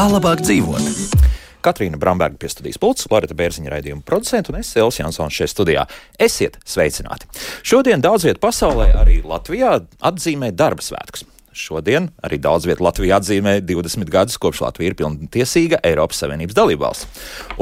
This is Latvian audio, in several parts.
Kā labāk dzīvot? Katrīna Bramberga pie studijas pults, Loreta Bērziņa raidījuma producenta un es, Elvis Jansons, šeit studijā. Esiet sveicināti! Šodien daudz viet pasaulē, arī Latvijā, atzīmē darba svētkus. Šodien arī daudz viet Latvijā atzīmē 20 gadus, kopš Latvija ir pilntiesīga Eiropas Savienības dalībvalsts.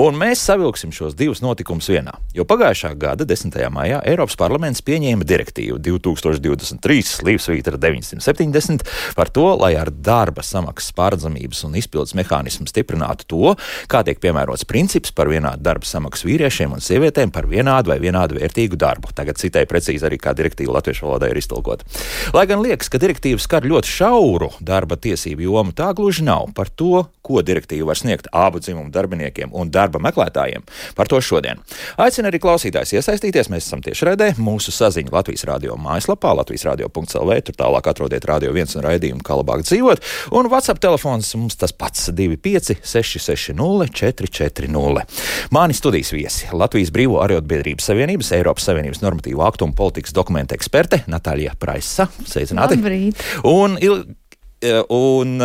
Un mēs savilksim šos divus notikumus vienā, jo pagājušā gada 10. maijā Eiropas parlaments pieņēma direktīvu 2023/970 par to, lai ar darba samaksas pārredzamības un izpildes mehānismu stiprinātu to, kā tiek piemērots princips par vienādu darba samaksu vīriešiem un sievietēm par vienādu vai vienādu vērtīgu darbu. Tagad citēju precīzi arī, kā direktīva latviešu valodā ir iztulkota. Lai gan liekas, ka direktīva skar ļoti šauru darba tiesību jomu, tā gluži nav. Par to, ko direktīva var sniegt abu dzimumu darbiniekiem un darba meklētājiem, par to šodien. Aicinu arī klausītājs iesaistīties, mēs esam tiešraidē, mūsu saziņa Latvijas radio mājaslapā, latvijasradio.lv, tur tālāk atrodiet Radio 1 un raidījumu Kā labāk dzīvot, un WhatsApp telefons mums tas pats 25 660 440. Mani studijas viesi Latvijas Brīvo arotbiedrības savienības, Eiropas Savienības normatīvu aktu un politikas dokumentu eksperte Natālija Praisa. Sveicināti! Labrīt! Un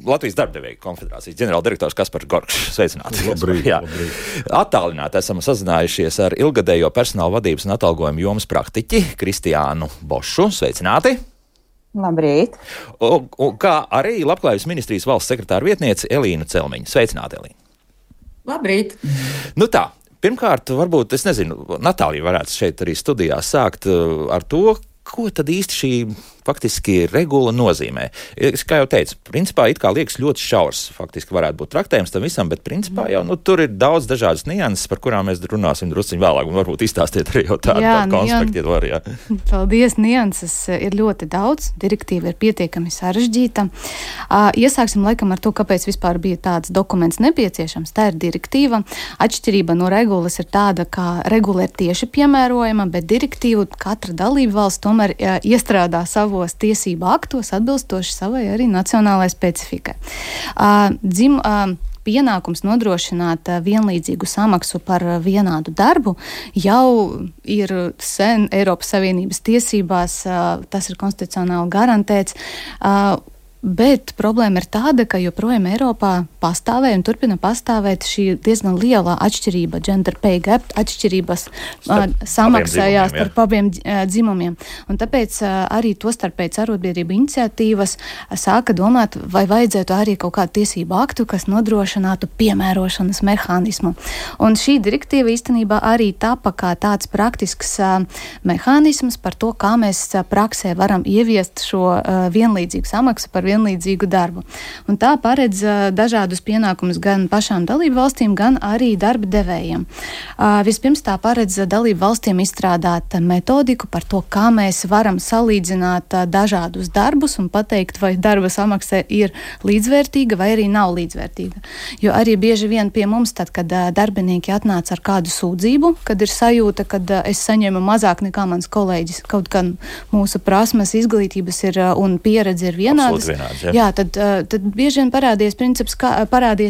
Latvijas darbdevēju konfederācijas ģenerāldirektors Kaspars Gorkšs. Sveicināti! Labrīt! Attālināti esam sazinājušies ar ilgadējo personāla vadības un atalgojuma jomas praktiķi Kristiānu Bošu. Sveicināti! Labrīt! Un kā arī Labklājības ministrijas valsts sekretāra vietniece Elīna Celmiņa. Sveicināti, Elīna! Labrīt! Nu tā, pirmkārt, varbūt, es nezinu, Natālija varētu šeit arī studijā sākt ar to, ko tad īsti šī faktiski regula nozīmē. Kā jau teicu, principā it kā liekas ļoti šaurs, faktiski varētu būt traktējums tam visam, bet principā jau tur ir daudz dažādas nianses, par kurām mēs runāsim drusciņ vēlāk, un varbūt izstāstiet arī jau tādu konspektu. Paldies, nianses ir ļoti daudz, direktīva ir pietiekami sarežģīta. Iesāksim laikam ar to, kāpēc vispār bija tāds dokuments nepieciešams. Tā ir direktīva. Atšķirība no regulas ir tāda, ka regula ir tieši piemērojama, bet direktīvu katra dalība valsts tomēr iestrādā savos tiesību aktos atbilstoši savai arī nacionālajai specifikai. Pienākums nodrošināt vienlīdzīgu samaksu par vienādu darbu jau ir sen Eiropas Savienības tiesībās, tas ir konstitucionāli garantēts. Bet problēma ir tāda, ka joprojām Eiropā pastāvēja un turpina pastāvēt šī diezgan liela atšķirība, gender pay gap, atšķirības samaksājās starp abiem dzimumiem. Un tāpēc arī tostarpēc arotbiedrību iniciatīvas sāka domāt, vai vajadzētu arī kaut kādu tiesību aktu, kas nodrošinātu piemērošanas mehānismu. Un šī direktīva īstenībā arī tapa kā tāds praktisks mehānisms par to, kā mēs praksē varam ieviest šo vienlīdzīgu samaksu par vienlīdzīgu darbu. Un tā paredz dažādus pienākumus gan pašām dalību valstīm, gan arī darba devējiem. Vispirms tā paredz dalību valstīm izstrādāt metodiku par to, kā mēs varam salīdzināt dažādus darbus un pateikt, vai darba samaksa ir līdzvērtīga vai arī nav līdzvērtīga. Jo arī bieži vien pie mums, tad, kad darbinieki atnāca ar kādu sūdzību, kad ir sajūta, kad es saņemu mazāk nekā mans kolēģis, kaut gan mūsu prasmes, izglītības ir un pieredze ir vienādas. Jā, tad bieži vien parādies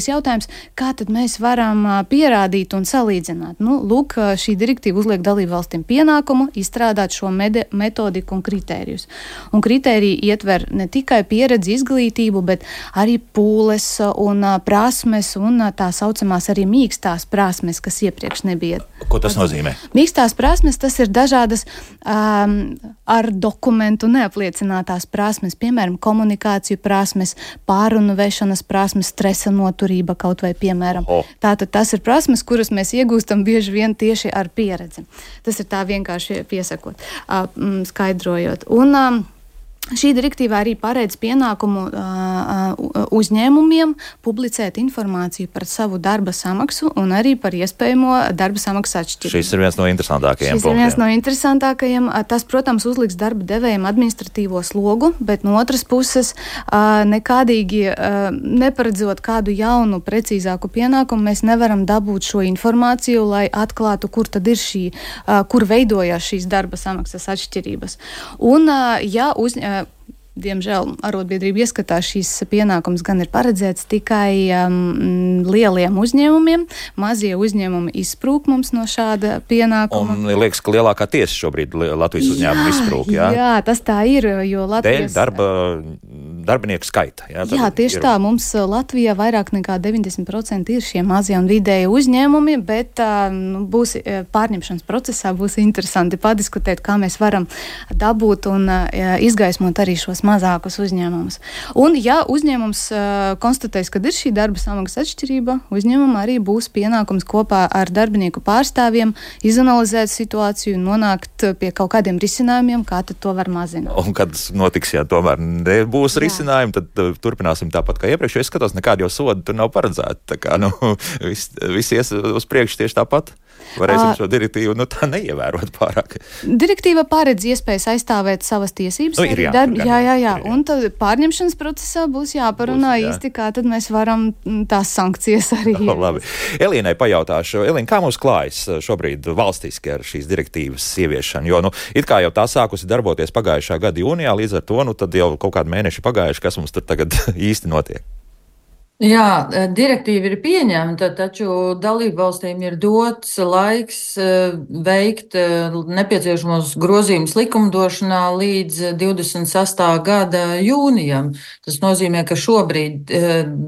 jautājums, kā tad mēs varam pierādīt un salīdzināt. Lūk, šī direktīva uzliek dalību valstīm pienākumu izstrādāt šo metodiku un kritērijus. Un kritēriji ietver ne tikai pieredzi, izglītību, bet arī pūles un prasmes un tā saucamās arī mīkstās prasmes, kas iepriekš nebija. Ko tas nozīmē? Mīkstās prasmes, tas ir dažādas ar dokumentu neapliecinātās prasmes, piemēram, komunikāciju prasmes, pārunu vešanas prasmes, stresa noturība kaut vai piemēram. Tātad tas ir prasmes, kuras mēs iegūstam bieži vien tieši ar pieredzi. Tas ir tā vienkārši piesakot, skaidrojot. Un šī direktīva arī paredz pienākumu uzņēmumiem publicēt informāciju par savu darba samaksu un arī par iespējamo darba samaksas atšķirību. Šis ir viens no interesantākajiem. Tas, protams, uzliks darba devējiem administratīvo slogu, bet no otras puses nekādīgi neparedzot kādu jaunu, precīzāku pienākumu, mēs nevaram dabūt šo informāciju, lai atklātu, kur tad ir kur veidojās šīs darba samaksas atšķirības. Un, Diemžēl arotbiedrība ieskatā šīs pienākums gan ir paredzēts tikai lieliem uzņēmumiem. Mazie uzņēmumi izsprūk mums no šāda pienākuma. Un liekas, ka lielākā tiesa šobrīd Latvijas uzņēmuma izsprūk, jā? Jā, tas tā ir, jo Latvijas... Dēļ darbinieku skaita. Jā, tieši tā. Mums Latvijā vairāk nekā 90% ir šie mazie un vidēji uzņēmumi, bet būs pārņemšanas procesā būs interesanti padiskutēt, kā mēs varam dabūt un izgaismot arī šos mazākus uzņēmumus. Un, ja uzņēmums konstatēs, ka ir šī darba samaksas atšķirība, uzņēmumam arī būs pienākums kopā ar darbinieku pārstāvjiem izanalizēt situāciju un nonākt pie kaut kādiem risinājumiem, kā tad to var mazināt. Un kad notiks, ja tomēr nebūs risinājumi, tad turpināsim tāpat kā iepriekš. Es skatos, nekādi jau sodi tur nav paredzēti. Tā kā, viss ies uz priekšu tieši tāpat. Varēsim šo direktīvu tā neievērot pārāk. Direktīva paredz iespējas aizstāvēt savas tiesības. Jā. Un tad pārņemšanas procesā būs jāparunā īsti, kā tad mēs varam tās sankcijas arī ieviest. Labi. Elīnai pajautāšu. Elīna, kā mums klājas šobrīd valstiski ar šīs direktīvas ieviešanu? Jo, it kā jau tā sākusi darboties pagājušā gada jūnijā, līdz ar to, tad jau kaut kādi mēneši pagājuši, kas mums tur tagad īsti notiek. Jā, direktīva ir pieņemta, taču dalībvalstīm ir dots laiks veikt nepieciešamos grozījumus likumdošanā līdz 26. gada jūnijam. Tas nozīmē, ka šobrīd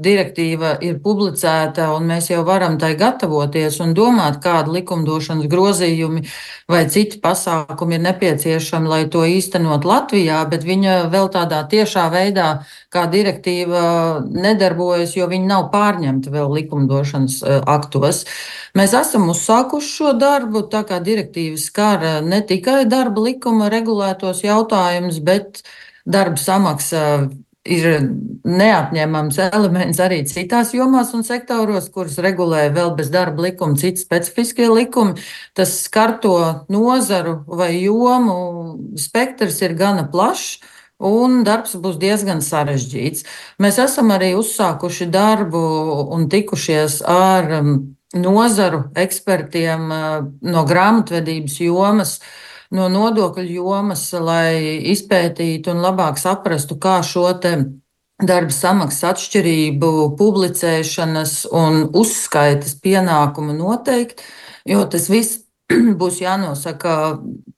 direktīva ir publicēta un mēs jau varam tai gatavoties un domāt, kādu likumdošanas grozījumi vai citi pasākumi ir nepieciešami, lai to īstenot Latvijā, bet viņa vēl tādā tiešā veidā, kā direktīva nedarbojas, jo viņi nav pārņemti vēl likumdošanas aktos. Mēs esam uzsākuši šo darbu, tā kā direktīva skar ne tikai darba likuma regulētos jautājumus, bet darba samaksa ir neatņemams elements arī citās jomās un sektoros, kuras regulē vēl bez darba likuma citi specifiskie likumi. Tas skarto nozaru vai jomu spektrs ir gana plašs. Un darbs būs diezgan sarežģīts. Mēs esam arī uzsākuši darbu un tikušies ar nozaru ekspertiem no grāmatvedības jomas, no nodokļu jomas, lai izpētītu un labāk saprastu, kā šo te darba samaksas atšķirību publicēšanas un uzskaites pienākumu noteikt, jo tas viss būs jānosaka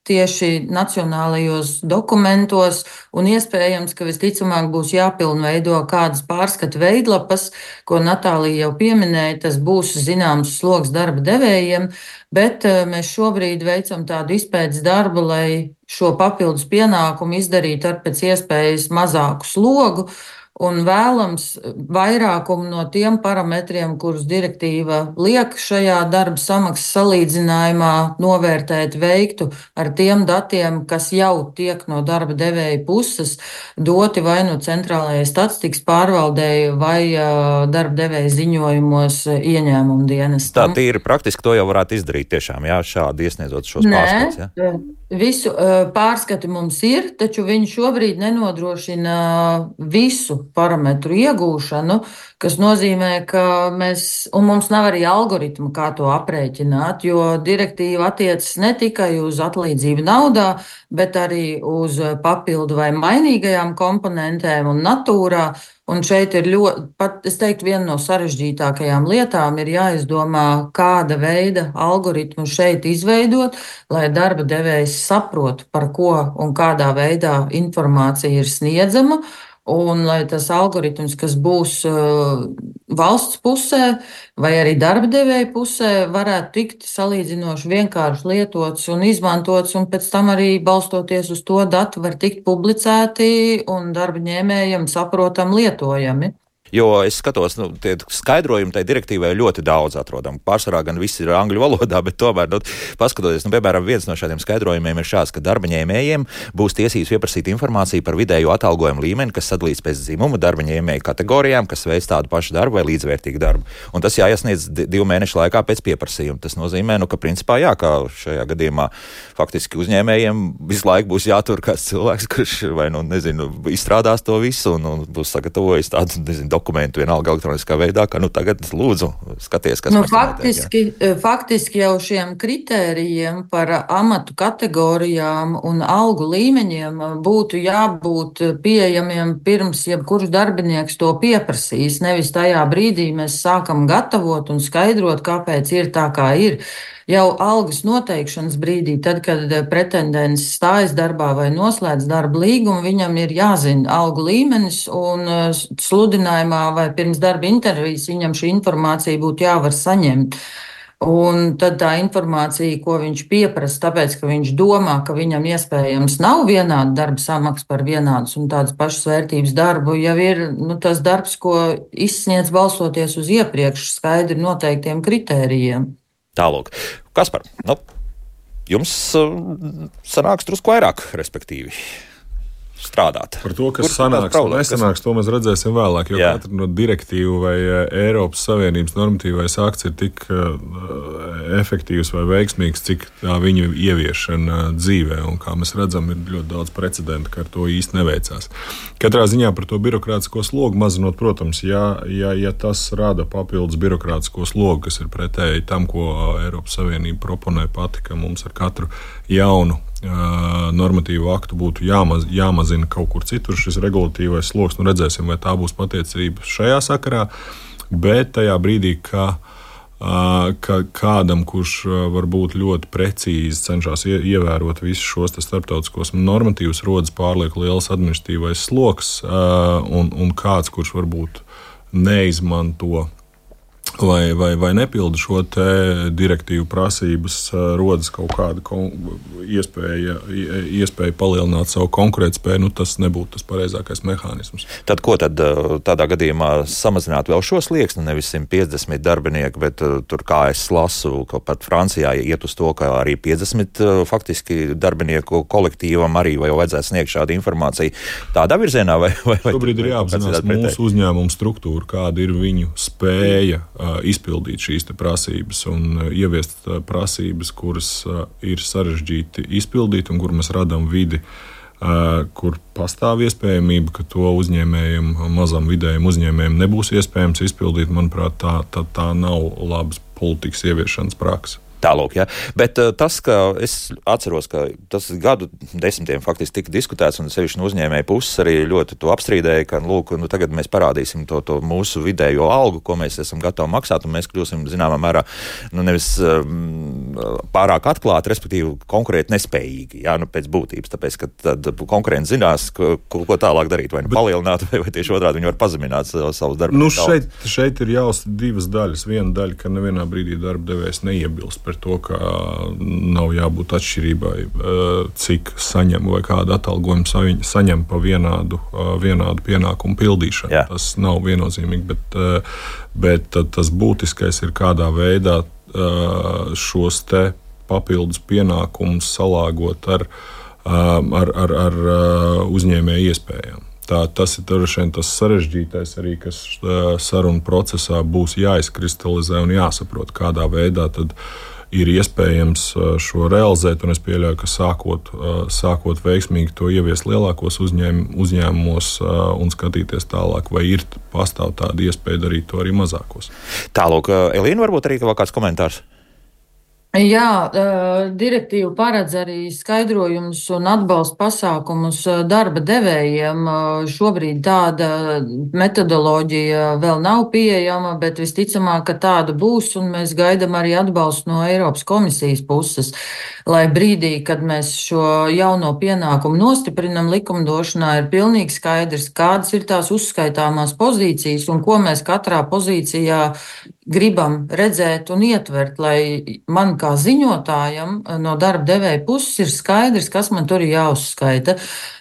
tieši nacionālajos dokumentos un iespējams, ka visticamāk būs jāpilnveido kādas pārskatu veidlapas, ko Natālija jau pieminēja, tas būs zināms sloks darba devējiem, bet mēs šobrīd veicam tādu izpētes darbu, lai šo papildus pienākumu izdarītu ar pēc iespējas mazāku slogu. Un vēlams vairākumu no tiem parametriem, kurus direktīva liek šajā darba samaksas salīdzinājumā novērtēt, veiktu ar tiem datiem, kas jau tiek no darba devēja puses doti vai no centrālajai statistikas pārvaldei vai darba devēja ziņojumos ieņēmumu dienestam. Tā tīri praktiski to jau varētu izdarīt tiešām, šādi iesniedzot šos pārskats. Ja? Visu pārskati mums ir, taču viņi šobrīd nenodrošina visu parametru iegūšanu, kas nozīmē, ka mums nav arī algoritmu, kā to aprēķināt, jo direktīva attiecas ne tikai uz atlīdzību naudā, bet arī uz papildu vai mainīgajām komponentēm un natūrā. Un šeit ir es teiktu, viena no sarežģītākajām lietām ir jāizdomā, kāda veida algoritmu šeit izveidot, lai darba devējs saprot, par ko un kādā veidā informācija ir sniedzama. Un lai tas algoritms, kas būs valsts pusē vai arī darba devēja pusē, varētu tikt salīdzinoši vienkārši lietots un izmantots, un pēc tam arī balstoties uz to datu var tikt publicēti un darba ņēmējiem saprotam lietojami. Jo es skatos, tie skaidrojumi tai direktīvai ļoti daudz atrodam. Pārsvarā gan viss ir angļu valodā, bet tomēr, paskatoties, piemēram, viens no šādiem skaidrojumiem ir šāds, ka darba ņēmējiem būs tiesības pieprasīt informāciju par vidējo atalgojumu līmeni, kas sadalīts pēc dzimuma darba ņēmēju kategorijām, kas veic tādu pašu darbu vai līdzvērtīgu darbu. Un tas jāiesniedz 2 mēnešu laikā pēc pieprasījuma. Tas nozīmē, ka principā kā šajā gadījumā faktiski uzņēmējiem visu laiku būs jātur kāds cilvēks, kurš vai izstrādās to visu un būs sagatavojis tādu, dokumentu vienalga elektroniskā veidā, ka tagad lūdzu skaties, kas faktiski jau šiem kritērijiem par amatu kategorijām un algu līmeņiem būtu jābūt pieejamiem pirms jebkurš darbinieks to pieprasīs. Nevis tajā brīdī mēs sākam gatavot un skaidrot, kāpēc ir tā, kā ir. Jau algas noteikšanas brīdī, tad, kad pretendents stājas darbā vai noslēdz darba līgumu, viņam ir jāzina algu līmenis, un sludinājumā vai pirms darba intervijas viņam šī informācija būtu jāvar saņemt. Un tad tā informācija, ko viņš pieprasa, tāpēc, ka viņš domā, ka viņam iespējams nav vienāda darba samaksa par vienādus un tādas pašas vērtības darbu, jau ir tas darbs, ko izsniedz balstoties uz iepriekš skaidri noteiktiem kritērijiem. Tālūk. Kaspar, jums sanāks drusku vairāk, respektīvi, strādāt. Par to, kas sanāks un nesanāks, to mēs redzēsim vēlāk, jo katra no direktīvu vai Eiropas Savienības normatīvais akts ir tik efektīvs vai veiksmīgs, cik tā viņa ieviešana dzīvē, un kā mēs redzam, ir ļoti daudz precedentu, ka ar to īsti neveicās. Katrā ziņā par to birokrātisko slogu mazinot, protams, ja tas rada papildus birokrātisko slogu, kas ir pretēji tam, ko Eiropas Savienība proponē pati, ka mums ar katru jaunu normatīvu aktu būtu jāmazina kaut kur citur šis regulatīvais sloks. Redzēsim, vai tā būs patiecība šajā sakarā, bet tajā brīdī, ka kādam, kurš varbūt ļoti precīzi cenšas ievērot visus šos starptautiskos normatīvus, rodas pārlieku liels administratīvais sloks, un kāds, kurš varbūt neizmanto vai nepilda šo te direktīvu prasības, rodas kaut kāda iespēja palielināt savu konkurētspēju, tas nebūtu tas pareizākais mehānisms. Tad ko tad tādā gadījumā samazināt vēl šo slieksni, nevis 150 darbinieki, bet tur, kā es lasu, ka pat Francijā iet uz to, ka arī 50 faktiski darbinieku kolektīvam arī vai vajadzētu sniegt šādu informāciju tādā virzienā? Vai šobrīd ir jāapzinās mūsu uzņēmumu struktūru, kāda ir viņu spēja izpildīt šīs prasības un ieviest prasības, kuras ir sarežģīti izpildīt un kur mēs radām vidi, kur pastāv iespējamība, ka to uzņēmējiem, mazam vidējiem uzņēmējiem nebūs iespējams izpildīt. Manuprāt, tā nav labas politikas ieviešanas praksa. Tālūk, ja. Bet tas, ka es atceros, ka tas gadu desmitiem faktiski tika diskutēts, un sevišķi no uzņēmēja puses arī ļoti to apstrīdēja, ka, lūk, tagad mēs parādīsim to mūsu vidējo algu, ko mēs esam gatavi maksāt, un mēs kļūsim, zināmā mērā, nevis pārāk atklāti, respektīvi konkurēt nespējīgi, pēc būtības, tāpēc, ka tad konkurenti zinās, ko tālāk darīt, vai palielināt, vai tieši otrādi viņi var pazemināt savus darbus. Šeit ir jāuzsver divas daļas. Viena daļa, ka nevienā brīdī darba devējs neiebilst par to, ka nav jābūt atšķirībai, cik saņem vai kādu atalgojumu saņem pa vienādu pienākumu pildīšanu. Jā. Tas nav viennozīmīgi, bet tas būtiskais ir, kādā veidā šos te papildus pienākumus salāgot ar uzņēmēju iespējām. Tas ir tas sarežģītais arī, kas sarunu procesā būs jāizkristalizē un jāsaprot, kādā veidā tad ir iespējams šo realizēt, un es pieļauju, ka sākot veiksmīgi to ieviest lielākos uzņēmumos un skatīties tālāk, vai pastāv tāda iespēja darīt to arī mazākos. Tālūk, Elīna, varbūt arī vēl kāds komentārs? Jā, direktīva paredz arī skaidrojumus un atbalsta pasākumus darba devējiem. Šobrīd tāda metodoloģija vēl nav pieejama, bet visticamāk, ka tāda būs, un mēs gaidām arī atbalstu no Eiropas komisijas puses, lai brīdī, kad mēs šo jauno pienākumu nostiprinam likumdošanā, ir pilnīgi skaidrs, kādas ir tās uzskaitāmās pozīcijas un ko mēs katrā pozīcijā gribam redzēt un ietvert, lai man kā ziņotājam no darba devēja puses ir skaidrs, kas man tur ir jāuzskaita.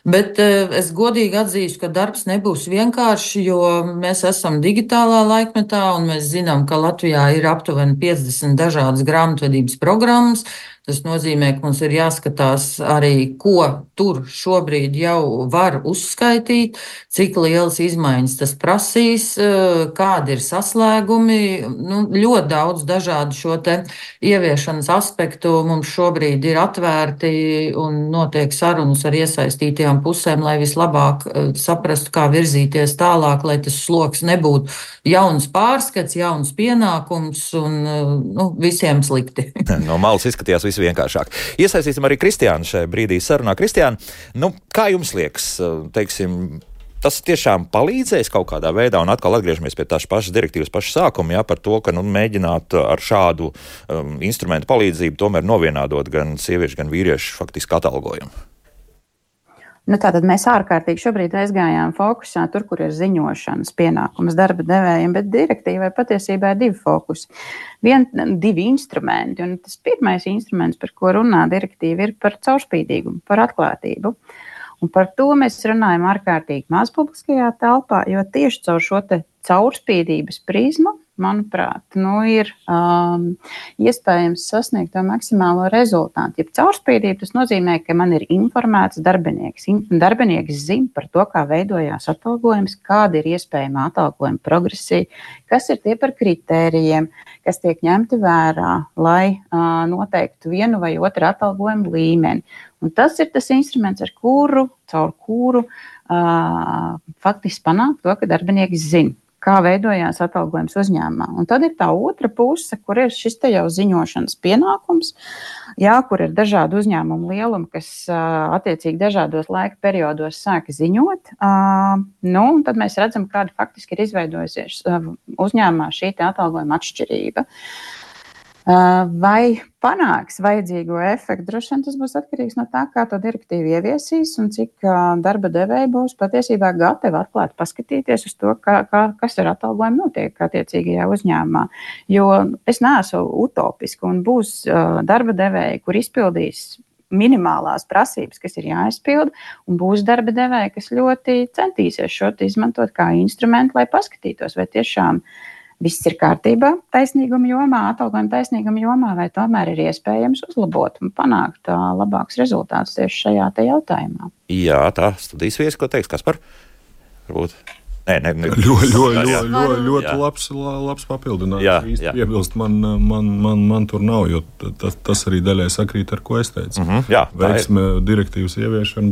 Bet es godīgi atzīstu, ka darbs nebūs vienkārši, jo mēs esam digitālā laikmetā un mēs zinām, ka Latvijā ir aptuveni 50 dažādas grāmatvedības programmas. Tas nozīmē, ka mums ir jāskatās arī, ko tur šobrīd jau var uzskaitīt, cik lielas izmaiņas tas prasīs, kādi ir saslēgumi. Ļoti daudz dažādu šo te ieviešanas aspektu mums šobrīd ir atvērti un notiek sarunas ar iesaistītajām pusēm, lai vislabāk saprastu, kā virzīties tālāk, lai tas sloks nebūtu jauns pārskats, jauns pienākums un visiem slikti. No malas izskatījās viss vienkāršāk. Iesaistīsim arī Kristiānu šajā brīdī sarunā. Kristiāna, kā jums liekas, teiksim, tas tiešām palīdzēs kaut kādā veidā, un atkal atgriežamies pie tās pašas direktīvas paša sākuma, par to, ka mēģināt ar šādu instrumentu palīdzību tomēr novienādot gan sieviešu, gan vīriešu faktiski atalgojumu. Tātad mēs ārkārtīgi šobrīd aizgājām fokusā tur, kur ir ziņošanas pienākums darba devējiem, bet direktīvai patiesībā ir divi fokusi. Divi instrumenti, un tas pirmais instruments, par ko runā direktīva, ir par caurspīdīgumu, par atklātību. Un par to mēs runājam ārkārtīgi maz publiskajā telpā, jo tieši caur šo te caurspīdības prizmu, manuprāt, ir iespējams sasniegt to maksimālo rezultātu. Ja caurspīdība, tas nozīmē, ka man ir informēts darbinieks. Darbinieks zina par to, kā veidojās atalgojums, kāda ir iespējama atalgojuma progresija, kas ir tie par kritērijiem, kas tiek ņemti vērā, lai noteiktu vienu vai otru atalgojumu līmeni. Un tas ir tas instruments, caur kuru faktiski panākt to, ka darbinieks zina, kā veidojās atalgojums uzņēmumā. Un tad ir tā otra puse, kur ir šis te jau ziņošanas pienākums, kur ir dažādi uzņēmumu lielumi, kas attiecīgi dažādos laika periodos sāka ziņot. Un tad mēs redzam, kāda faktiski ir izveidojusies uzņēmumā šī te atalgojuma atšķirība. Vai panāks vajadzīgo efektu? Droši vien tas būs atkarīgs no tā, kā to direktīvu ieviesīs un cik darba devēji būs patiesībā gatavi atklāt paskatīties uz to, kas ar atalgojumu notiek attiecīgajā uzņēmumā. Jo es neesmu utopiski un būs darba devēji, kur izpildīs minimālās prasības, kas ir jāizpilda, un būs darba devēji, kas ļoti centīsies šo izmantot kā instrumentu, lai paskatītos, vai tiešām viss ir kārtībā taisnīguma jomā, atalgojuma taisnīguma jomā, vai tomēr ir iespējams uzlabot un panākt labākus rezultātus tieši šajā te jautājumā. Jā, tā studijas viesi, ko teiks Kaspar? Varbūt. Nē. Ļoti labs papildinājums. Īsti piebilst, man tur nav, jo tas arī daļai sakrīt ar ko es teicu. Veiksme direktīvas ieviešana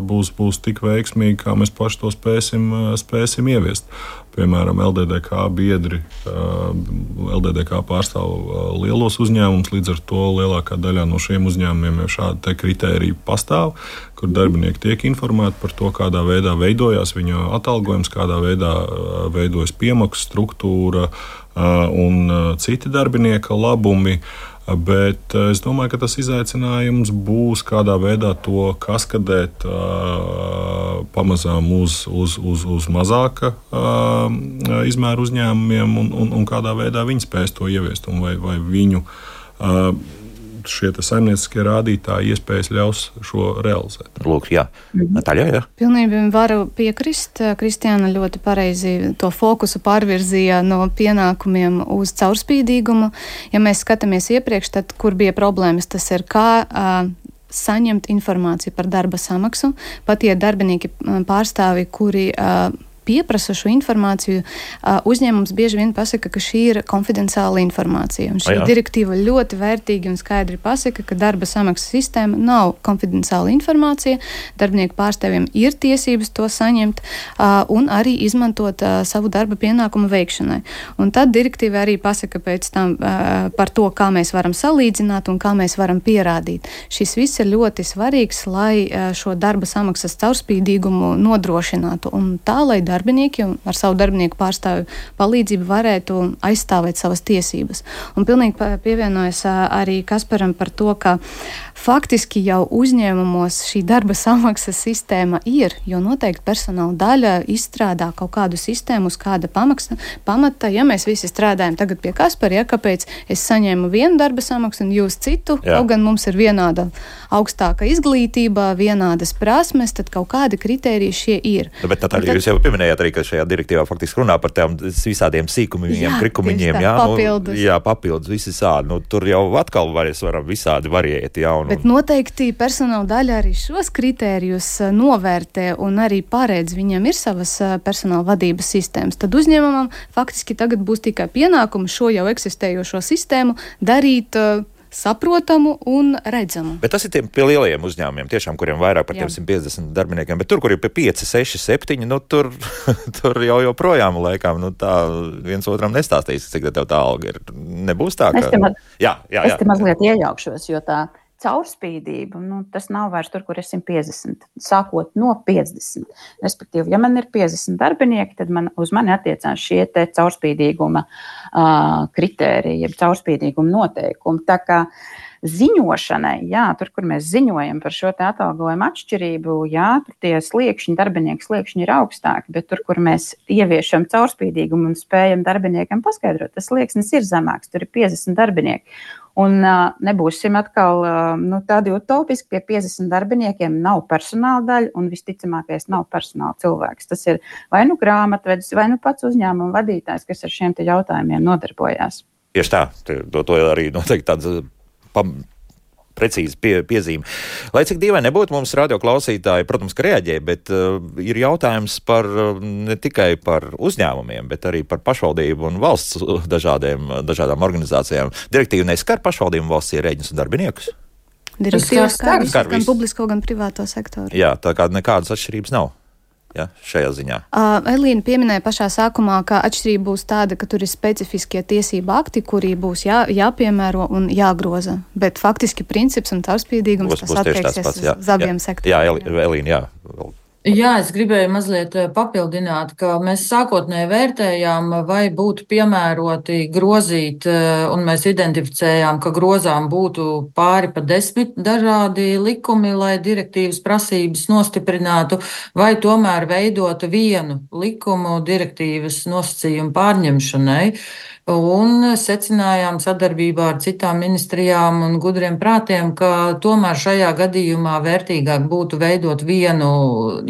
būs tik veiksmīga, kā mēs paši to spēsim ieviest. Piemēram, LDDK biedri, LDDK pārstāv lielos uzņēmumus, līdz ar to lielākā daļā no šiem uzņēmumiem jau šādi te kritēriji pastāv, kur darbinieki tiek informēti par to, kādā veidā veidojās viņa atalgojums, kādā veidā veidojas piemaksu struktūra un citi darbinieka labumi. Bet es domāju, ka tas izaicinājums būs kādā veidā to kaskadēt pamazām uz mazāka izmēra uzņēmumiem un kādā veidā viņi spēs to ieviest un vai viņu šie saimnieciskie rādītāji iespējas ļaus šo realizēt. Lūk, jā. Natāļa, jā. Pilnībā varu piekrist. Kristiāna ļoti pareizi to fokusu pārvirzīja no pienākumiem uz caurspīdīgumu. Ja mēs skatāmies iepriekš, tad kur bija problēmas, tas ir kā saņemt informāciju par darba samaksu. Pat ja darbinieki pārstāvi, kuri pieprasa šo informāciju, uzņēmums bieži vien pasaka, ka šī ir konfidenciāla informācija. Un šī direktīva ļoti vērtīgi un skaidri pasaka, ka darba samaksas sistēma nav konfidenciāla informācija. Darbinieku pārstāvjiem ir tiesības to saņemt un arī izmantot savu darba pienākumu veikšanai. Un tad direktīva arī pasaka pēc tam par to, kā mēs varam salīdzināt un kā mēs varam pierādīt. Šis viss ir ļoti svarīgs, lai šo darba samaksas caurspīdīgumu nodrošinātu un tā, lai darbinieki un ar savu darbinieku pārstāvju palīdzību varētu aizstāvēt savas tiesības. Un pilnīgi pievienojas arī Kasparam par to, ka faktiski jau uzņēmumos šī darba samaksas sistēma ir, jo noteikti personāla daļa izstrādā kaut kādu sistēmu uz kāda pamata. Ja mēs visi strādājam tagad pie Kaspara, kāpēc es saņēmu vienu darba samaksu un jūs citu, kaut gan mums ir vienāda augstāka izglītība, vienādas prasmes, tad kaut kādi kritēriji šie ir. Bet Natāļa, jūs jau pieminējāt minējāt arī, ka šajā direktīvā faktiski runā par tām visādiem sīkumiņiem, krikumiņiem, papildus visi sādi. Tur jau atkal varam visādi variēti, Bet noteikti personāla daļa arī šos kritērijus novērtē un arī paredz, viņiem ir savas personāla vadības sistēmas. Tad uzņēmumam faktiski tagad būs tikai pienākums šo jau eksistējošo sistēmu darīt saprotamu un redzamu. Bet tas ir pie lielajiem uzņēmumiem, tiešām, kuriem vairāk par 150 darbiniekiem, bet tur, kur ir pie 5, 6, 7, tur jau joprojām laikām, tā viens otram nestāstīs, cik tev tā alga ir. Nebūs tā, ka... Es te mazliet iejaukšos, jo tā caurspīdība, tas nav vairs tur, kur ir 150, sākot no 50. Respektīvi, ja man ir 50 darbinieki, tad uz mani attiecās šie te caurspīdīguma kritēriji, jeb caurspīdīguma noteikumi. Tā kā ziņošanai, tur, kur mēs ziņojam par šo te atalgojumu atšķirību, tur tie sliekšņi, darbinieku sliekšņi ir augstāki, bet tur, kur mēs ieviešam caurspīdīgumu un spējam darbiniekam paskaidrot, tas slieksnis ir zemāks, tur ir 50 darbinieki. Un nebūsim atkal tādi utopiski, pie 50 darbiniekiem nav personāla daļa un visticamākais nav personāla cilvēks. Tas ir vai grāmatvedis, vai pats uzņēmuma vadītājs, kas ar šiem te jautājumiem nodarbojās. Tieši tā, to arī noteikti tāds precīzi piezīme. Lai cik dīvaini nebūtu, mums radioklausītāji, protams, ka reaģē, bet ir jautājums ne tikai par uzņēmumiem, bet arī par pašvaldību un valsts dažādām organizācijām. Direktīva neskar pašvaldību, valsts ierēģņus un darbiniekus? Direktīva skar gan publisko, gan privāto sektoru. Jā, tā kā nekādas atšķirības nav. Šajā ziņā. Elīna pieminēja pašā sākumā, ka atšķirība būs tāda, ka tur ir specifiskie tiesība akti, kuri būs jāpiemēro un jāgroza. Bet faktiski princips un caurspīdīgums tas attieksies uz abiem sektoriem. Jā, Elīna, Jā, es gribēju mazliet papildināt, ka mēs sākotnēji vērtējām, vai būtu piemēroti grozīt, un mēs identificējām, ka grozām būtu pāri pa 10 dažādi likumi, lai direktīvas prasības nostiprinātu, vai tomēr veidot vienu likumu direktīvas nosacījumu pārņemšanai. Un secinājām sadarbībā ar citām ministrijām un gudriem prātiem, ka tomēr šajā gadījumā vērtīgāk būtu veidot vienu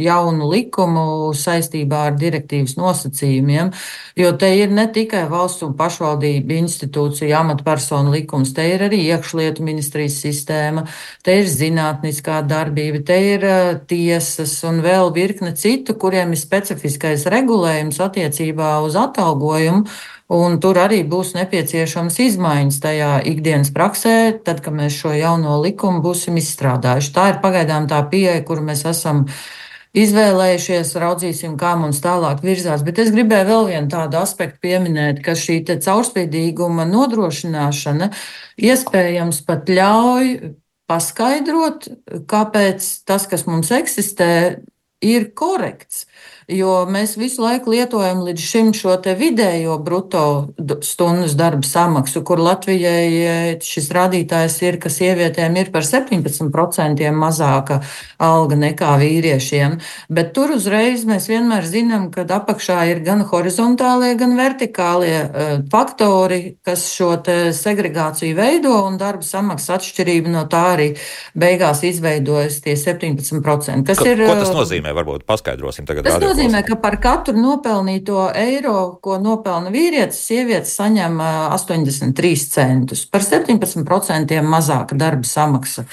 jaunu likumu saistībā ar direktīvas nosacījumiem, jo te ir ne tikai valsts un pašvaldību institūcija amatpersonu likums, te ir arī iekšlietu ministrijas sistēma, te ir zinātniskā darbība, te ir tiesas un vēl virkne citu, kuriem ir specifiskais regulējums attiecībā uz atalgojumu. Un tur arī būs nepieciešams izmaiņas tajā ikdienas praksē, tad, kad mēs šo jauno likumu būsim izstrādājuši. Tā ir pagaidām tā pieeja, kuru mēs esam izvēlējušies, raudzīsim, kā mums tālāk virzās. Bet es gribēju vēl vienu tādu aspektu pieminēt, ka šī te caurspīdīguma nodrošināšana iespējams pat ļauj paskaidrot, kāpēc tas, kas mums eksistē, ir korekts. Jo mēs visu laiku lietojam līdz šim šo te vidējo bruto stundas darba samaksu, kur Latvijai šis rādītājs ir, ka sievietēm ir par 17% mazāka alga nekā vīriešiem. Bet tur uzreiz mēs vienmēr zinām, ka apakšā ir gan horizontālie, gan vertikālie faktori, kas šo te segregāciju veido, un darba samaksas atšķirība no tā arī beigās izveidojas tie 17%. Ko tas nozīmē? Varbūt paskaidrosim tagad. Tas nozīmē, ka par katru nopelnīto eiro, ko nopelna vīrietis, sievietes saņem 83 centus. Par 17% mazāka darba samaksa.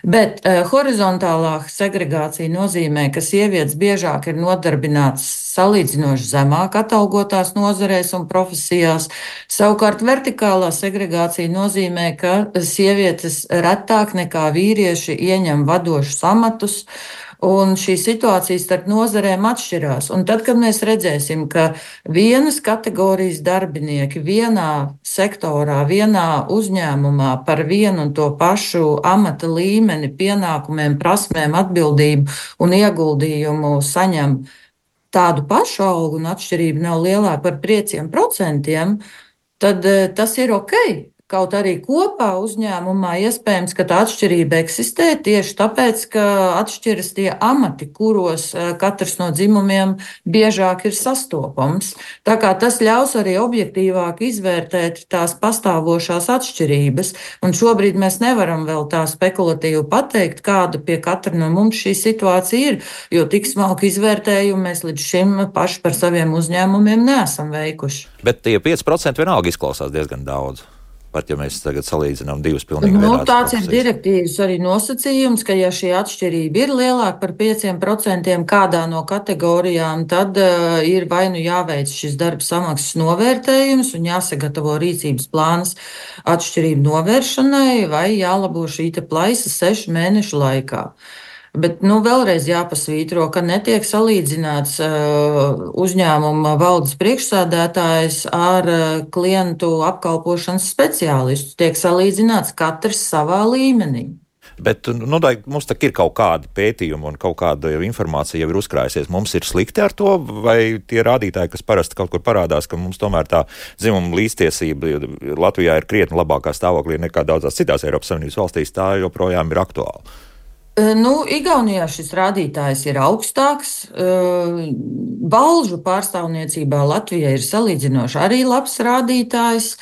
Bet horizontālā segregācija nozīmē, ka sievietes biežāk ir nodarbinātas salīdzinoši zemāk atalgotās nozarēs un profesijās. Savukārt vertikālā segregācija nozīmē, ka sievietes retāk nekā vīrieši ieņem vadošus amatus, un šī situācija starp nozarēm atšķirās. Un tad, kad mēs redzēsim, ka vienas kategorijas darbinieki vienā sektorā, vienā uzņēmumā par vienu un to pašu amata līmeni, pienākumiem, prasmēm, atbildību un ieguldījumu saņem tādu pašu algu un atšķirība nav lielāka par 5%, tad tas ir ok. kaut arī kopā uzņēmumā iespējams, ka tā atšķirība eksistē tieši tāpēc, ka atšķiras tie amati, kuros katrs no dzimumiem biežāk ir sastopams. Tā kā tas ļaus arī objektīvāk izvērtēt tās pastāvošās atšķirības, un šobrīd mēs nevaram vēl tā spekulatīvi pateikt, kāda pie katra no mums šī situācija ir, jo tik smalku izvērtējumu mēs līdz šim paši par saviem uzņēmumiem neesam veikuši. Bet tie 5% vienalga izklausās diezgan daudz. Pat ja mēs tagad salīdzinām divus pilnīgi vienādus. Tāds ir direktīvas arī nosacījums, ka ja šī atšķirība ir lielāka par 5% kādā no kategorijām, tad ir vai nu jāveic šis darba samaksas novērtējums un jāsagatavo rīcības plāns atšķirību novēršanai, vai jālabo šī plaisa 6 mēnešu laikā. Bet vēlreiz jāpasvītro, ka netiek salīdzināts uzņēmuma valdes priekšsēdētājs ar klientu apkalpošanas speciālistu. Tiek salīdzināts katrs savā līmenī. Bet mums tā ir kaut kāda pētījuma un kaut kāda informācija jau ir uzkrājusies. Mums ir slikti ar to, vai tie rādītāji, kas parasti kaut kur parādās, ka mums tomēr tā dzimuma līdztiesība Latvijā ir krietni labākā stāvoklī nekā daudzās citās Eiropas Savienības valstīs, tā joprojām ir aktuāla. Igaunijā šis rādītājs ir augstāks. Balžu pārstāvniecībā Latvijā ir salīdzinoši arī labs rādītājs.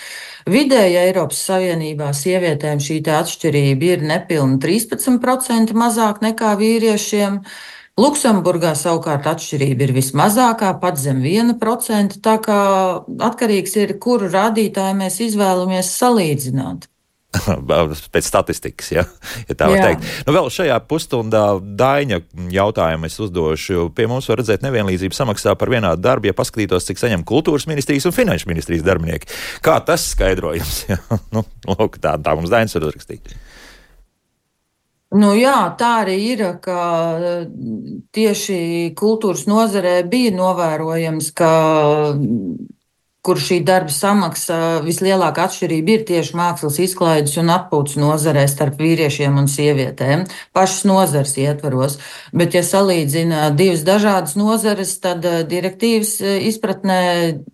Vidēji Eiropas Savienībā sievietēm šī atšķirība ir nepilni 13% mazāk nekā vīriešiem. Luksemburgā savukārt atšķirība ir vismazākā, pat zem 1%, tā kā atkarīgs ir, kuru rādītāju mēs izvēlamies salīdzināt. Pēc statistikas, ja tā var teikt. Vēl šajā pusstundā Daiņa jautājumu es uzdošu. Pie mums var redzēt nevienlīdzību samaksā par vienādu darbu, ja paskatītos, cik saņem kultūras ministrijas un finanšu ministrijas darbinieki. Kā tas skaidrojums? Lūk, tā mums Daiņas var uzrakstīt. Tā arī ir, ka tieši kultūras nozarē bija novērojams, ka kur šī darba samaksa vislielākā atšķirība ir tieši mākslas izklaides un atpūtas nozarē starp vīriešiem un sievietēm, pašas nozares ietvaros. Bet, ja salīdzina divas dažādas nozares, tad direktīvas izpratnē,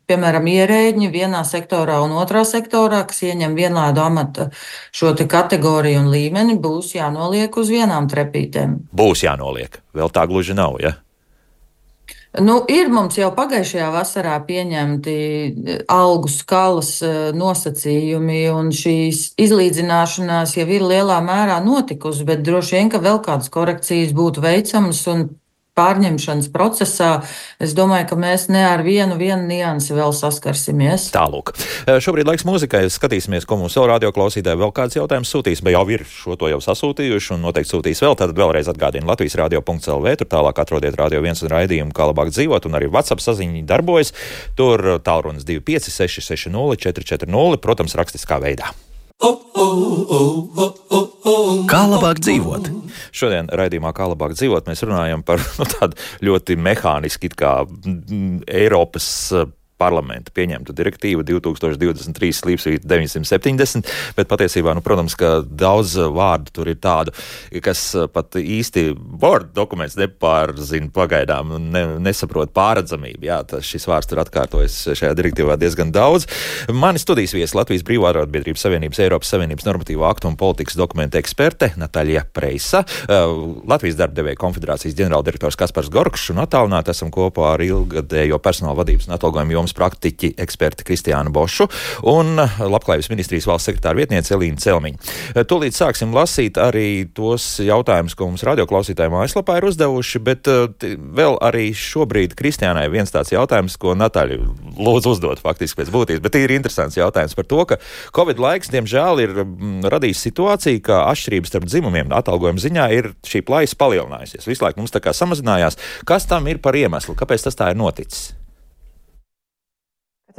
piemēram, ierēģi vienā sektorā un otrā sektorā, kas ieņem vienādu amata šo kategoriju un līmeni, būs jānoliek uz vienām trepītēm. Būs jānoliek. Vēl tā gluži nav, ja? Ir mums jau pagājušajā vasarā pieņemti algu skalas nosacījumi, un šīs izlīdzināšanās jau ir lielā mērā notikusi, bet droši vien, ka vēl kādas korekcijas būtu veicamas un pārņemšanas procesā, es domāju, ka mēs ne ar vienu niansi vēl saskarsimies. Tālūk. Šobrīd laiks mūzikai. Skatīsimies, ko mums savu radioklausītāji vēl kāds jautājums sūtīs, bet jau ir šo to jau sasūtījuši un noteikti sūtīs vēl. Tātad vēlreiz atgādinu Latvijas radio.lv, tur tālāk atrodiet Radio 1 un raidījumu, kā labāk dzīvot, un arī WhatsApp saziņi darbojas. Tur tālrunis 25 660 440, protams, rakstiskā veidā. Kā labāk dzīvot? Šodien raidījumā Kā labāk dzīvot mēs runājam par tādu ļoti mehāniski kā Eiropas parlamenta pieņemtu direktīvu 2023/970, bet patiesībā, protams, ka daudz vārdu tur ir tādu, kas pat īsti Word dokuments nepārzina pagaidām un nesaprot pārredzamību. Jā, šis vārds tur atkārtojas šajā direktīvā diezgan daudz. Mani studijas viesi Latvijas Brīvā arotbiedrības Savienības, Eiropas Savienības normatīvo aktu un politikas dokumentu eksperte Natāļa Preisa, Latvijas darbdevēju konfederācijas ģenerāldirektors Kaspars Gorkšs un attālināti esam kopā ar ilgadējo personāla vadības un atalgojuma jomas praktiķi eksperti Kristiānu Bošu un Labklājības ministrijas valsts sekretāra vietniece Elīna Celmiņa. Tūlīt sāksim lasīt arī tos jautājumus, ko mums radioklausītāji mājaslapā ir uzdevuši, bet vēl arī šobrīd Kristiānai viens tāds jautājums, ko Natāļa lūdzu uzdot faktiski pēc būtības, bet ir interesants jautājums par to, ka Covid laiks, diemžēl, ir radījis situāciju, ka atšķirības starp dzimumiem atalgojuma ziņā ir šī plaisa palielinājusies. Visu laiku mums tā kā samazinājās. Kas tam ir par iemeslu? Kāpēc tas tā ir noticis?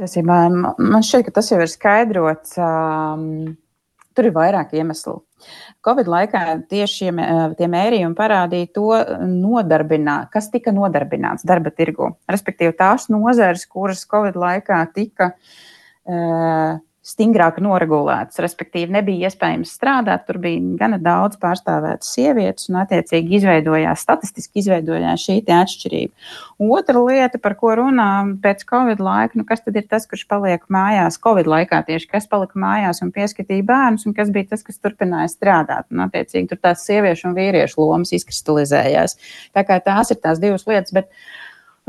Man šķiet, ka tas jau ir skaidrots. Tur ir vairāk iemeslu. Covid laikā tieši tie mērījumi parādīja to, kas tika nodarbināts darba tirgu. Respektīvi tās nozares, kuras Covid laikā tika stingrāk noregulētas, respektīvi nebija iespējams strādāt, tur bija gana daudz pārstāvētas sievietes un attiecīgi statistiski izveidojās šī te atšķirība. Otra lieta, par ko runā pēc Covid laika, kas tad ir tas, kurš paliek mājās Covid laikā tieši, kas palika mājās un pieskatīja bērnus un kas bija tas, kas turpināja strādāt. Un attiecīgi tur tās sieviešu un vīriešu lomas izkristalizējās. Tā kā tās ir tās divas lietas, bet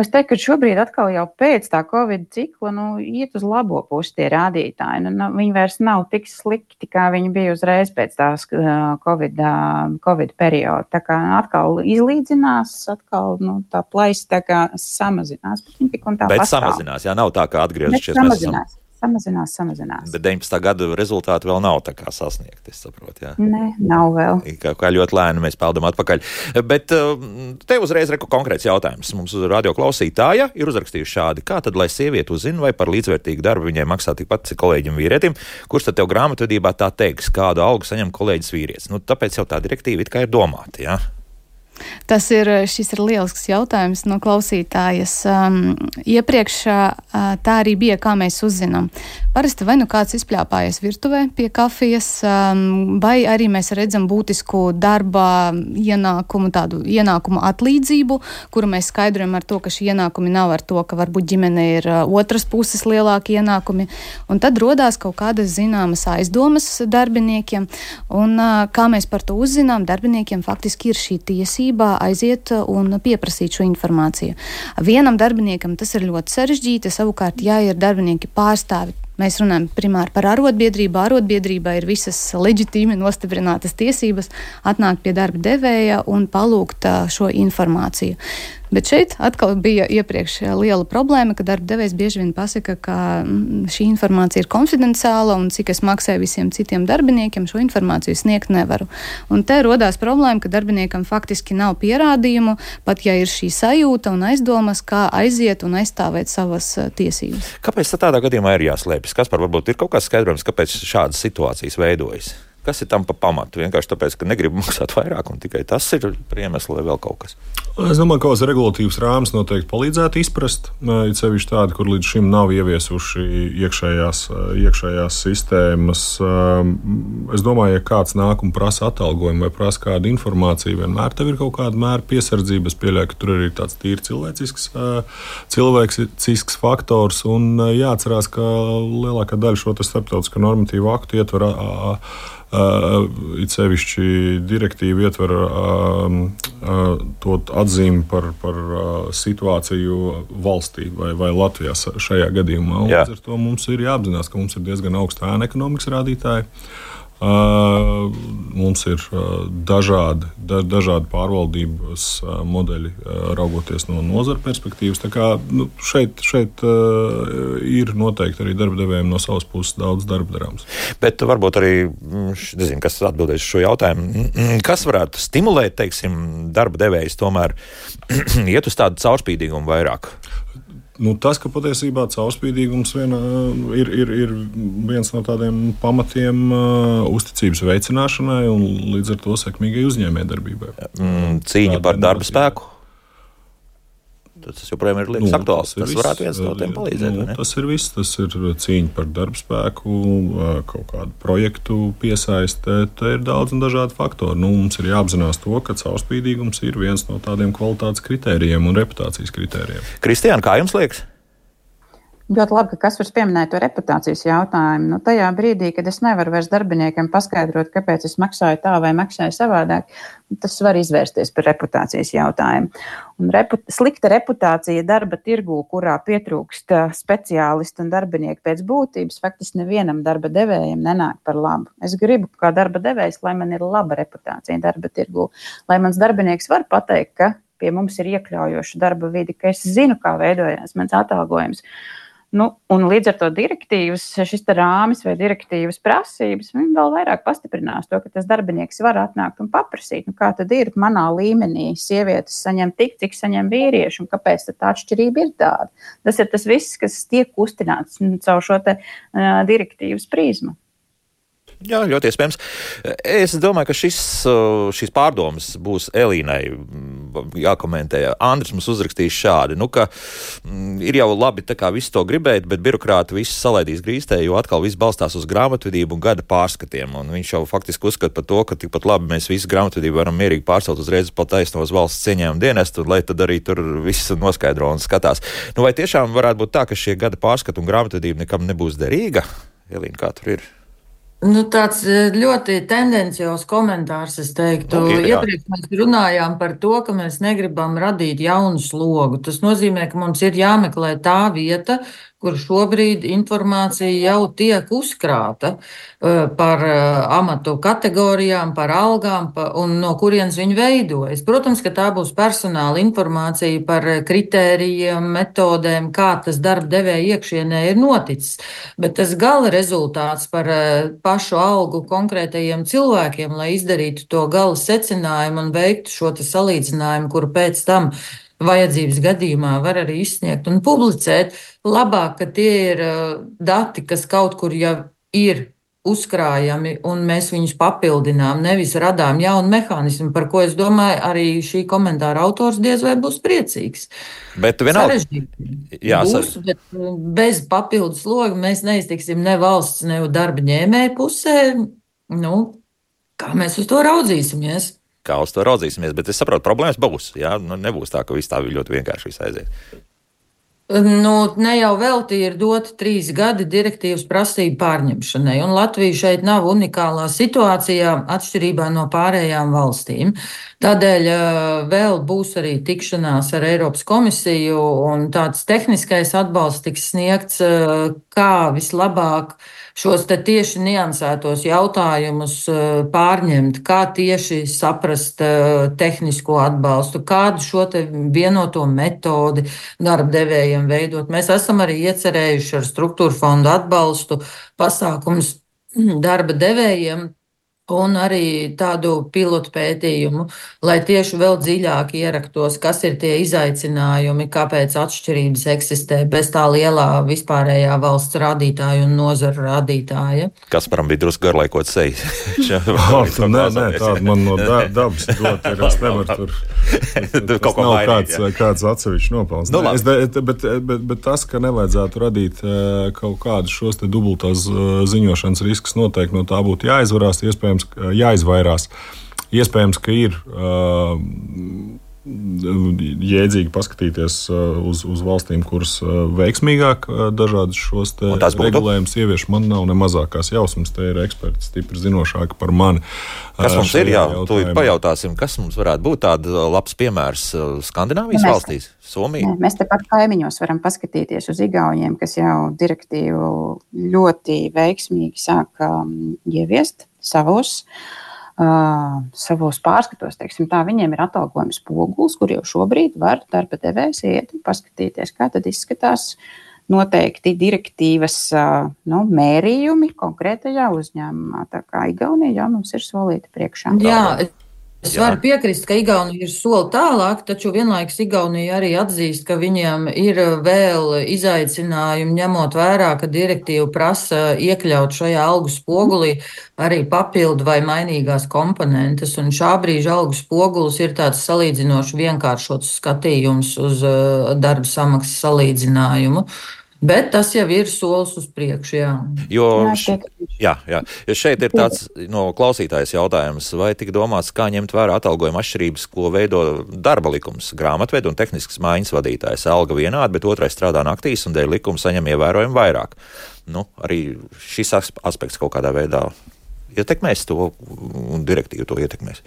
es teiktu, ka šobrīd atkal jau pēc tā Covid cikla iet uz labo pusi tie rādītāji. Viņi vairs nav tik slikti, kā viņi bija uzreiz pēc tās Covid perioda. Tā kā atkal izlīdzinās, atkal tā plaisa tā kā samazinās. Bet samazinās, jā, nav tā kā atgriezušies. Samazinās. Bet 19. gada rezultāti vēl nav tā kā sasniegti, es saprotu, jā? Nē, nav vēl. Kā ļoti lēni mēs peldam atpakaļ. Bet te uzreiz konkrēts jautājums. Mums radio klausītāja ir uzrakstījuši šādi. Kā tad, lai sieviete uzzina, vai par līdzvērtīgu darbu viņai maksā tikpat cik kolēģim vīrietim, kurš tad tev grāmatvedībā tā teiks, kādu algu saņem kolēģis vīrietis? Tāpēc jau tā direktīva it kā ir domāta, jā? Šis ir lielisks jautājums no klausītājas. Iepriekš tā arī bija, kā mēs uzzinām. Parasti vai kāds izpļāpājies virtuvē pie kafijas, vai arī mēs redzam būtisku darba tādu ienākumu atlīdzību, kuru mēs skaidrojam ar to, ka šī ienākumi nav ar to, ka varbūt ģimene ir otras puses lielāki ienākumi. Un tad rodās kaut kādas zināmas aizdomas darbiniekiem. Un kā mēs par to uzzinām, darbiniekiem faktiski ir šī tiesība aiziet un pieprasīt šo informāciju. Vienam darbiniekam tas ir ļoti sarežģīti, savukārt, ja ir darbinieki pārstāvi, mēs runājam primāri par arotbiedrību. Arotbiedrībā ir visas leģitīmi nostiprinātas tiesības atnākt pie darba devēja un palūgt šo informāciju. Bet šeit atkal bija iepriekš liela problēma, ka darba devējs bieži vien pasaka, ka šī informācija ir konfidenciāla un cik es maksāju visiem citiem darbiniekiem, šo informāciju sniegt nevaru. Un te rodās problēma, ka darbiniekam faktiski nav pierādījumu, pat ja ir šī sajūta un aizdomas, kā aiziet un aizstāvēt savas tiesības. Kāpēc tādā gadījumā ir jāslēpjas? Kaspar, varbūt ir kaut kāds skaidrojums, kāpēc šādas situācijas veidojas? Kas ir tam pa pamatu? Vienkārši tāpēc, ka negribu maksāt vairāk un tikai tas ir iemesls vai vēl kaut kas? Es domāju, ka kāds regulatīvs rāmis noteikti palīdzētu izprast. Ir sevišķi tādi, kur līdz šim nav ieviesuši iekšējās sistēmas. Es domāju, ja kāds nāk un prasa atalgojumu vai prasa kādu informāciju, vienmēr tev ir kaut kāda mēra piesardzība. Es pieļauju, ka tur ir tāds tīri cilvēcisks faktors un jāatcerās, ka lielākā daļa šo starptautisko normatīvu aktu ietver it sevišķi direktīva ietver to atzīmi par situāciju valstī vai Latvijā šajā gadījumā. Līdz ar to mums ir jāapzinās, ka mums ir diezgan augsta ēna ekonomikas rādītāji. Mums ir dažādi pārvaldības modeļi, raugoties no nozara perspektīvas. Tā kā šeit ir noteikti arī darba devējiem no savas puses daudz darba darāms. Bet varbūt arī, nezinu, kas atbildēs šo jautājumu, kas varētu stimulēt, teiksim, darba devējus tomēr iet uz tādu caurspīdīgumu vairāk? Tas, ka patiesībā caurspīdīgums ir viens no tādiem pamatiem uzticības veicināšanai un līdz ar to sekmīgai uzņēmējdarbībai. Cīņa par darba spēku? Tas joprojām ir liekas aktuāls. Tas varētu viens no tiem palīdzēt. Tas ir viss. Tas ir cīņa par darba spēku, kaut kādu projektu piesaistē. Te ir daudz un dažādi faktori. Mums ir jāapzinās to, ka caurspīdīgums ir viens no tādiem kvalitātes kritērijiem un reputācijas kritērijiem. Kristiāna, kā jums liekas? Ļoti labi, ka Kaspars pieminēja to reputācijas jautājumu. Tajā brīdī, kad es nevaru vairs darbiniekiem paskaidrot, kāpēc es maksāju tā vai maksāju savādāk, tas var izvērsties par reputācijas jautājumu. Un slikta reputācija darba tirgū, kurā pietrūkst speciālistu un darbinieku pēc būtības, faktiski nevienam darba devējam nenāk par labu. Es gribu, kā darba devējs, lai man ir laba reputācija darba tirgū, lai mans darbinieks var pateikt, ka pie mums ir iekļaujoša darba vide, ka es zinu, kā veidojās mans atalgojums. Un līdz ar to direktīvas, šis rāmis vai direktīvas prasības, viņi vēl vairāk pastiprinās to, ka tas darbinieks var atnākt un paprasīt, kā tad ir manā līmenī sievietes saņem tik, cik saņem vīrieši, un kāpēc tā atšķirība ir tāda. Tas ir tas viss, kas tiek kustināts caur šo direktīvas prizmu. Jā, ļoti iespējams. Es domāju, ka šīs pārdomas būs Elīnai jākomentē. Andris mums uzrakstīs šādi, ka ir jau labi tā kā visu to gribēt, bet birokrāti visu salaidīs grīstē, jo atkal viss balstās uz grāmatvedību un gada pārskatiem. Un viņš jau faktiski uzskata par to, ka tikpat labi mēs visu grāmatvedību varam mierīgi pārcelt uzreiz pa taisnos valsts cieņējumu dienestu, lai tad arī tur viss noskaidro un skatās. Vai tiešām varētu būt tā, ka šie gada pārskati un grāmatvedība nekam nebūs derīga? Elīna, kā tur ir? Tāds ļoti tendenciāls komentārs, es teiktu. Iepriekš mēs runājām par to, ka mēs negribam radīt jaunu slogu. Tas nozīmē, ka mums ir jāmeklē tā vieta, kur šobrīd informācija jau tiek uzkrāta par amatu kategorijām, par algām un no kurienes viņi veidojas. Protams, ka tā būs personāla informācija par kritērijiem, metodēm, kā tas darba devēja iekšienē ir noticis. Bet tas gala rezultāts par pašu algu konkrētajiem cilvēkiem, lai izdarītu to gala secinājumu un veiktu šo salīdzinājumu, kuru pēc tam vajadzības gadījumā var arī izsniegt un publicēt, labāk, ka tie ir dati, kas kaut kur jau ir uzkrājami, un mēs viņus papildinām, nevis radām jaunu mehānismu, par ko es domāju, arī šī komentāra autors diez vai būs priecīgs. Bet vienalga. Būs, bet bez papildus sloga mēs neiztiksim ne valsts, ne darba ņēmēju pusē. Kā mēs uz to raudzīsimies? Kā uz to raudzīsimies, bet es saprotu, problēmas būs. Jā? Nebūs tā, ka viss tā ļoti vienkārši viss aiziet. Ne jau velti ir doti 3 gadi direktīvas prasību pārņemšanai, un Latvija šeit nav unikālā situācijā atšķirībā no pārējām valstīm. Tādēļ vēl būs arī tikšanās ar Eiropas komisiju, un tāds tehniskais atbalsts tiks sniegts, kā vislabāk šos te tieši niansētos jautājumus pārņemt, kā tieši saprast tehnisko atbalstu, kādu šo te vienoto metodi darba devējiem veidot. Mēs esam arī iecerējuši ar struktūra fondu atbalstu pasākumus darba devējiem un arī tādu pilotu pētījumu, lai tieši vēl dziļāk ieraktos, kas ir tie izaicinājumi, kāpēc atšķirības eksistē bez tā lielā vispārējā valsts rādītāja un nozara rādītāja. Kasparam bija drusku garlaikot seju. Nē, tāda man no dabas dot ir, es nevaru tur. Tas nav kāds atsevišķs nopelns. Bet tas, ka nevajadzētu radīt kaut kādus šos te dubultās ziņošanas riskus, noteikti no tā būtu jāizvarās, jāizvairās. Iespējams, ka ir jēdzīgi paskatīties uz valstīm, kuras veiksmīgāk dažādas šos regulējumus ievieš. Man nav ne mazākās jausmas, te ir eksperti stipri zinošāki par mani. Kas mums ir? Jā, tūlīt pajautāsim, kas mums varētu būt tāda labs piemērs Skandināvijas valstīs, Somija? Mēs tepat kaimiņos varam paskatīties uz Igauniem, kas jau direktīvu ļoti veiksmīgi sāk ieviest savos pārskatos, teiksim tā, viņiem ir atalgojums spogulis, kur jau šobrīd var darba devējs iet un paskatīties, kā tad izskatās noteikti direktīvas mērījumi konkrētajā uzņēmumā. Tā kā Igaunija jau mums ir solīta priekšā. Jā. Es varu piekrist, ka Igaunija ir soli tālāk, taču vienlaikus Igaunija arī atzīst, ka viņiem ir vēl izaicinājumi, ņemot vērā, ka direktīva prasa iekļaut šajā algu spogulī arī papildu vai mainīgās komponentes. Un šā brīža algu spogulis ir tāds salīdzinoši vienkāršots skatījums uz darba samaksas salīdzinājumu. Bet tas jau ir solis uz priekšu, jā. Jo šeit ir tāds klausītājs jautājums, vai tika domāts, kā ņemt vērā atalgojuma atšķirības, ko veido darba likums, grāmatvedu un tehniskas mājiņas vadītājs. Alga vienāda, bet otrais strādā naktīs un dēļ likuma saņem ievērojami vairāk. Arī šis aspekts kaut kādā veidā ietekmēs to un direktīvu to ietekmēs.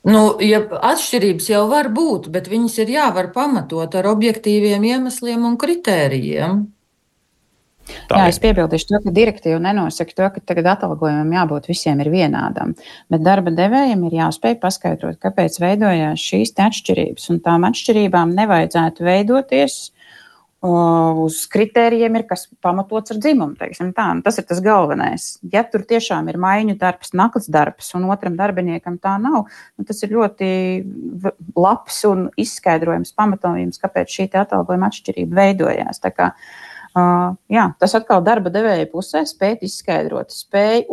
Atšķirības jau var būt, bet viņas ir jāvar pamatot ar objektīviem iemesliem un kritērijiem. Es piebildīšu to, ka direktīva nenosaka to, ka tagad atalgojumam jābūt visiem ir vienādam, bet darba devējiem ir jāspēj paskaidrot, kāpēc veidojās šīs atšķirības, un tām atšķirībām nevajadzētu veidoties uz kritērijiem, kas pamatots ar dzimumu. Tas ir tas galvenais. Ja tur tiešām ir maiņu darbs, nakts darbs, un otram darbiniekam tā nav, tas ir ļoti labs un izskaidrojams pamatojums, kāpēc šī atalgojuma atšķirība veidojās. Tā kā Jā, tas atkal darba devēja pusē spēt izskaidrot, spēja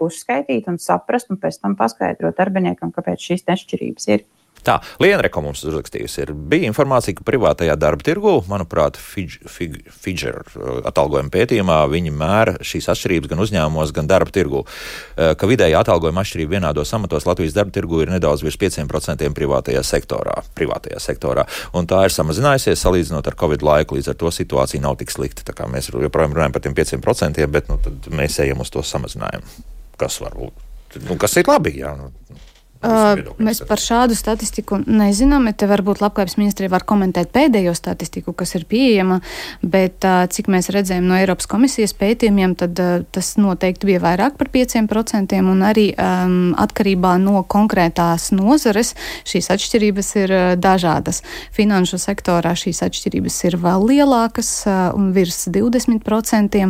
uzskaitīt un saprast, un pēc tam paskaidrot darbiniekam, kāpēc šīs nešķirības ir. Tā, Lienreka mums uzrakstījusi bija informācija, ka privātajā darba tirgū, manuprāt, Fidžer atalgojuma pētījumā viņi mēra šīs atšķirības gan uzņēmumos, gan darba tirgū, ka vidēja atalgojuma atšķirība vienādos amatos Latvijas darba tirgū ir nedaudz virs 5% privātajā sektorā. Un tā ir samazinājusies salīdzinot ar Covid laiku, līdz ar to situācija nav tik slikta. Tā kā mēs joprojām runājam par tiem 5%, bet tad mēs ejam uz to samazinājumu. Kas var būt? Kas ir labi, jā. Mēs par šādu statistiku nezinām. Te varbūt Labklājības ministrija var komentēt pēdējo statistiku, kas ir pieejama, bet cik mēs redzējām no Eiropas komisijas pētījumiem, tad tas noteikti bija vairāk par 5%, un arī atkarībā no konkrētās nozares šīs atšķirības ir dažādas. Finanšu sektorā šīs atšķirības ir vēl lielākas un virs 20%.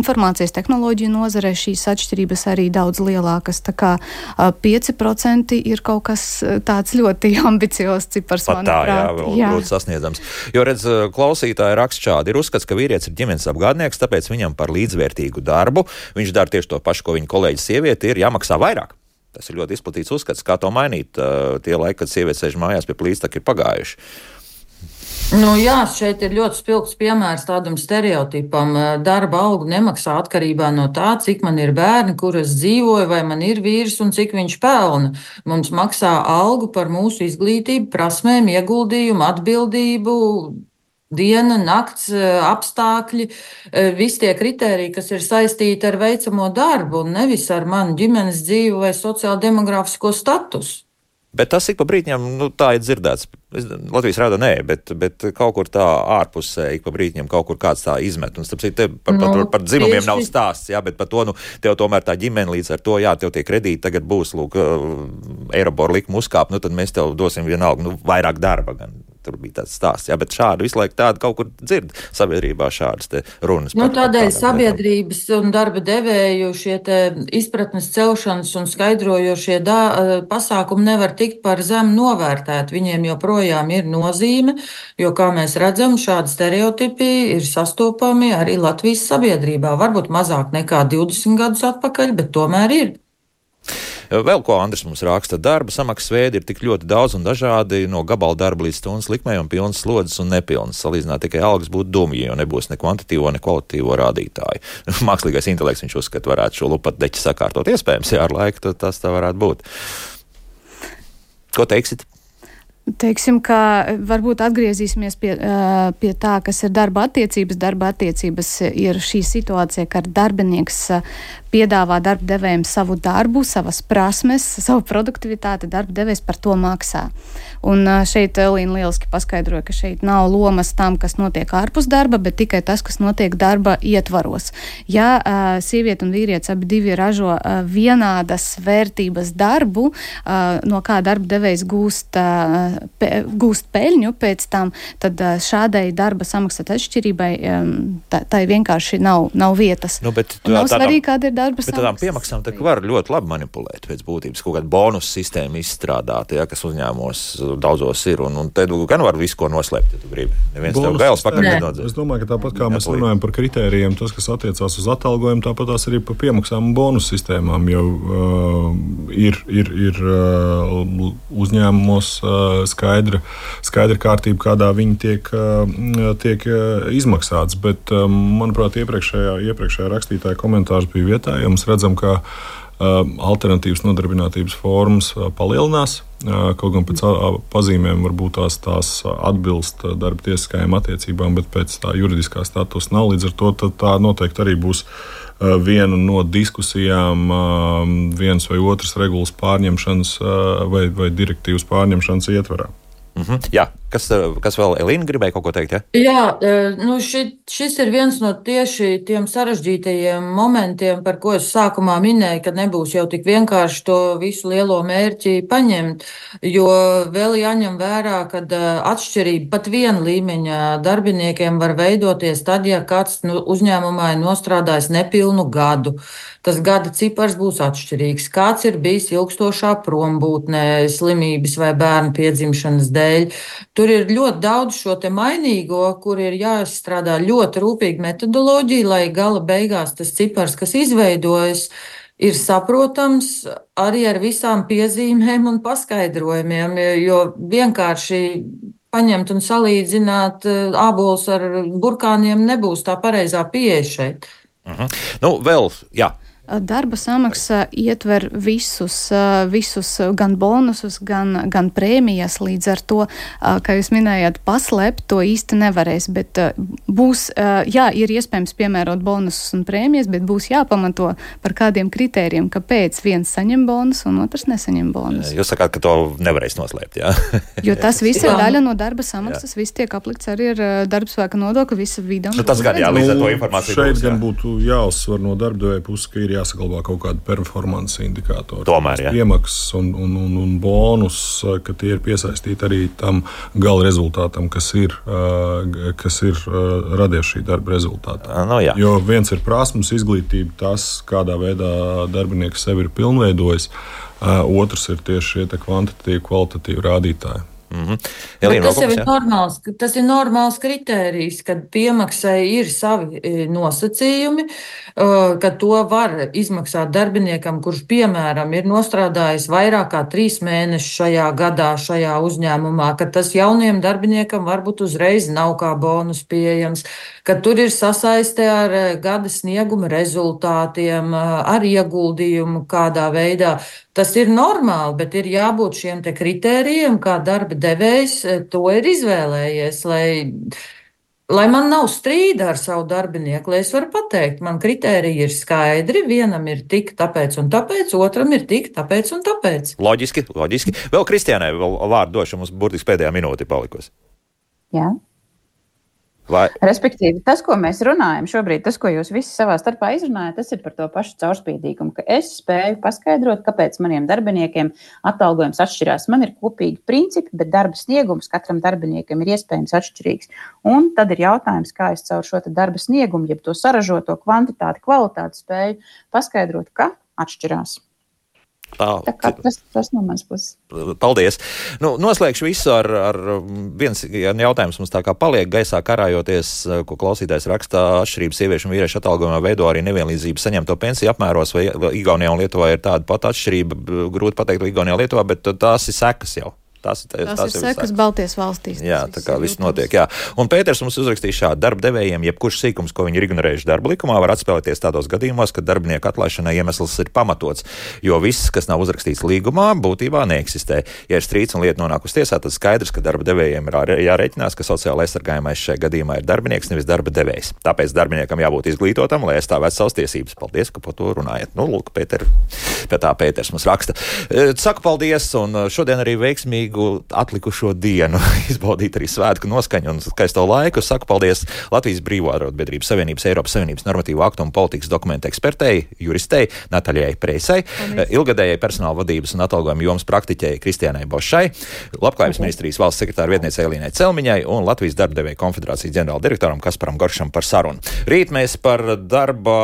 Informācijas tehnoloģiju nozarē šīs atšķirības arī daudz lielākas. Tā kā 5% ir kaut kas tāds ļoti ambiciozs cipars, manuprāt. Jā, grūti sasniedzams. Jo, redz, klausītāji raksta šādi. Ir uzskats, ka vīrietis ir ģimenes apgādnieks, tāpēc viņam par līdzvērtīgu darbu, viņš dara tieši to pašu, ko viņa kolēģi sieviete, ir jāmaksā vairāk. Tas ir ļoti izplatīts uzskats, kā to mainīt. Tie laiki, kad sieviete sēž mājās pie plīstaka, ir pagājuši. Jā, šeit ir ļoti spilgts piemērs tādam stereotipam. Darba algu nemaksā atkarībā no tā, cik man ir bērni, kur es dzīvoju, vai man ir vīrs un cik viņš pelna. Mums maksā algu par mūsu izglītību, prasmēm, ieguldījumu, atbildību, diena, nakts, apstākļi, visi tie kritēriji, kas ir saistīti ar veicamo darbu, un nevis ar manu ģimenes dzīvi vai sociāldemografisko statusu. Bet tas ik pa brītņiem, tā ir dzirdēts. Latvijas rāda nē, bet kaut kur tā ārpusē ik pa brītņiem kaut kur kāds tā izmet. Un par dzimumiem nav stāsts, jā, bet par to, tev tomēr tā ģimene līdz ar to, jā, tev tie kredīti tagad būs, Eirobor likuma uzkāp, tad mēs tev dosim vienalga, vairāk darba gan. Tur bija tāds stāsts, jā, bet šādi visu laiku tādu kaut kur dzird sabiedrībā šādas te runas. Tādēļ sabiedrības un darba devēju šie te izpratnes celšanas un skaidrojošie pasākumi nevar tikt par zem novērtēt. Viņiem joprojām ir nozīme, jo, kā mēs redzam, šādi stereotipi ir sastopami arī Latvijas sabiedrībā. Varbūt mazāk nekā 20 gadus atpakaļ, bet tomēr ir. Vēl ko Andris mums raksta, darba samaksas veidi ir tik ļoti daudz un dažādi, no gabala darba līdz stundas likmei un pilnas slodzes un nepilnas. Salīdzināt tikai algas būtu dumji, jo nebūs ne kvantitīvo, ne kvalitatīvo rādītāju. Mākslīgais intelekts, viņš uzskata, varētu šo lupat deķi sakārtot. Iespējams, jā, ar laiku tas tā varētu būt. Ko teiksit? Teiksim, ka varbūt atgriezīsimies pie tā, kas ir darba attiecības. Darba attiecības ir šī situācija, ka darbinieks piedāvā darba devējiem savu darbu, savas prasmes, savu produktivitāti, darba devējs par to maksā. Un šeit Elīna lieliski paskaidroja, ka šeit nav lomas tam, kas notiek ārpus darba, bet tikai tas, kas notiek darba ietvaros. Ja sieviete un vīrietis abi divi ražo vienādas vērtības darbu, no kā darba devējs gūst peļņu pēc tam, tad šādai darba samaksas atšķirībai tai vienkārši nav vietas. Nav svarīgi, kāda ir darba samaksas. Bet tādām piemaksām var ļoti labi manipulēt pēc būtības, kaut kādu bonus sistēmu izstrādāt, ja, kas uzņēmumos daudzos ir, un te gan var visu, ko noslēpt, ja tu gribi. Neviens tev gailes pakaļ nenodzēs. Es domāju, ka tāpat kā mēs runājam par kritērijiem, tas, kas attiecās uz atalgojumu, tāpat tās arī par piemaksām un bonus sistēmām, jo ir uzņēmumos skaidra kārtība, kādā viņi tiek izmaksāts, bet, manuprāt, iepriekšējā rakstītāja komentārs bija vietā, jo mēs redzam, ka alternatīvas nodarbinātības formas palielinās, kaut gan pēc pazīmēm varbūt tās atbilst darba tiesiskajām attiecībām, bet pēc tā juridiskā statusa nav. Līdz ar to tā noteikti arī būs viena no diskusijām, vienas vai otras regulas pārņemšanas vai direktīvas pārņemšanas ietvarā. Jā, kas vēl, Elīna, gribēja kaut ko teikt? Ja? Jā, šis ir viens no tieši tiem sarežģītajiem momentiem, par ko es sākumā minēju, ka nebūs jau tik vienkārši to visu lielo mērķi paņemt, jo vēl jāņem vērā, ka atšķirība pat viena līmeņa darbiniekiem var veidoties tad, ja kāds uzņēmumā ir nostrādājis nepilnu gadu. Tas gada cipars būs atšķirīgs. Kāds ir bijis ilgstošā prombūtnē, slimības vai bērnu piedzimšanas dēļ. Tur ir ļoti daudz šo te mainīgo, kur ir jāizstrādā ļoti rūpīgi metodoloģija, lai gala beigās tas cipars, kas izveidojas, ir saprotams arī ar visām piezīmēm un paskaidrojumiem, jo vienkārši paņemt un salīdzināt ābolus ar burkāniem nebūs tā pareizā pieeja šeit. Vēl, jā. Darba samaksa ietver visus gan bonusus, gan prēmijas, līdz ar to, kā jūs minējāt, paslēpt to īsti nevarēs, bet būs, ir iespējams piemērot bonusus un prēmijas, bet būs jāpamato par kādiem kritērijiem, kāpēc viens saņem bonus un otrs nesaņem bonus. Jūs sakāt, ka to nevarēs noslēpt, jā? Jo tas viss ir daļa no darba samaksas, viss tiek aplikts arī ar darbspēka nodokli, visa vida. Tas gan, jā, līdz ar to informāciju šeit gan būtu jāuzsver no darbdevēja puses, ka ir jāsaglabā kaut kāda performance indikātori. Tomēr, jā. Piemaksas un bonus, ka tie ir piesaistīti arī tam gala rezultātam, kas ir radies šī darba rezultātā. Jo viens ir prasmes, izglītība, tas, kādā veidā darbinieks sevi ir pilnveidojis, otrs ir tieši šie kvantitatīvi, kvalitatīvi rādītāji. Tas ir normāls kritērijs, kad piemaksai ir savi nosacījumi, ka to var izmaksāt darbiniekam, kurš, piemēram, ir nostrādājis vairāk kā 3 mēnešus šajā gadā, šajā uzņēmumā, ka tas jauniem darbiniekam varbūt uzreiz nav kā bonus pieejams, ka tur ir sasaiste ar gada snieguma rezultātiem, ar ieguldījumu kādā veidā. Tas ir normāli, bet ir jābūt šiem te kritērijiem, kā darba devējs to ir izvēlējies, lai man nav strīda ar savu darbinieku, lai es varu pateikt, man kritēriji ir skaidri, vienam ir tik tāpēc un tāpēc, otram ir tik tāpēc un tāpēc. Loģiski. Vēl Kristiānai vārdu došu, mums burtiski pēdējā minūte palikusi. Jā. Respektīvi, tas, ko mēs runājam šobrīd, tas, ko jūs visi savā starpā izrunājat, tas ir par to pašu caurspīdīgumu, ka es spēju paskaidrot, kāpēc maniem darbiniekiem atalgojums atšķirās. Man ir kopīgi principi, bet darba sniegums katram darbiniekam ir iespējams atšķirīgs. Un tad ir jautājums, kā es caur šo darba sniegumu, jeb to saražoto kvantitāti, kvalitāti spēju paskaidrot, ka atšķirās. Tas no manas puses. Paldies. Noslēgšu visu ar viens jautājums mums tā kā paliek gaisā karājoties, ko klausītājs rakstā, atšķirības sieviešu un vīriešu atalgojumā veido arī nevienlīdzību saņemto pensiju apmēros, vai Igaunijā un Lietuvā ir tāda pat atšķirība, grūti pateikt, vai Igaunijā un Lietuvā, bet tās ir sekas jau. Tas ir sekas Baltijas valstīs. Jā, tā kā viss notiek. Jā. Un Pēters mums uzrakstīja šādu: darba devējiem jebkurš sīkums, ko viņi ir ignorējuši darba likumā, var atspēlēties tādos gadījumos, kad darbinieku atlaišanai iemesls ir pamatots, jo viss, kas nav uzrakstīts līgumā, būtībā neeksistē. Ja ir strīds un lieta nonāk uz tiesā, tad skaidrs, ka darba devējiem ir jārēķinās, ka sociāli aizsargājamais šajā gadījumā ir darbinieks, nevis darba devējs. Tāpēc darbiniekam jābūt izglītotam, lai aizstāvētu savas tiesības. Paldies, ka par to runājat. Lūk, Pēters mums raksta. Saku paldies, un šodien arī veiksmīgu atlikušo dienu izbaudīt arī svētku noskaņu un skaisto laiku. Saku paldies Latvijas Brīvo arotbiedrības Savienības, Eiropas Savienības normatīvu aktu un politikas dokumentu ekspertei, juristei Nataļai Preisai, ilgadējai personāla vadības un atalgojuma jomas praktiķei Kristiānai Bošai, Labklājības ministrijas valsts sekretāra vietniecei Elīnai Celmiņai un Latvijas darbadevēju konfederācijas ģenerāldirektoram Kasparam Goršam par sarunu. Rīt mēs par darba,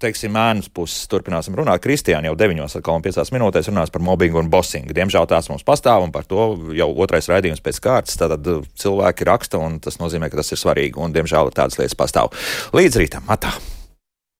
ēnas puses turpināsim runāt. Kristiāna jau 9:05 minūtēs runās par mobbingu un bosingu. Diemžēl tās mums pastāv, un par to jau otrais raidījums pēc kārtas. Tātad cilvēki raksta, un tas nozīmē, ka tas ir svarīgi, un diemžēl tādas lietas pastāv. Līdz rītam, atā!